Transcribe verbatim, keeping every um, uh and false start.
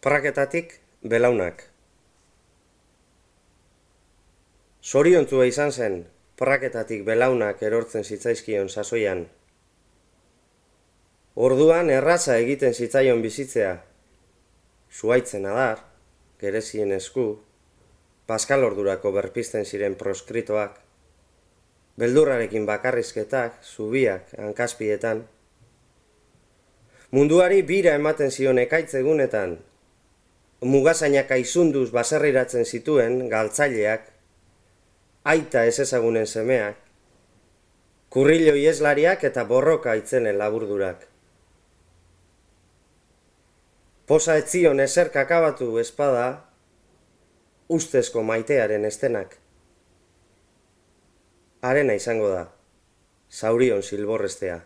Praketatik belaunak. Zoriontzua izan zen, praketatik belaunak erortzen zitzaizkion sasoian. Orduan erraza egiten zitzaion bizitzea. Zuhaitzen adar, gerezien esku, paskalordurako berpizten ziren proskritoak, beldurrarekin bakarrizketak, zubiak, hankaspietan. Munduari bira ematen zion ekaitz egunetan, mugazainak aizunduz baserriratzen zituen galtzaileak, aita ez ezagunen semeak, kurrilo ieslariak eta borroka itzenen laburdurak. Posa etzion ezer kakabatu espada, ustezko maitearen estenak. Harena izango da, zaurion silborrestea.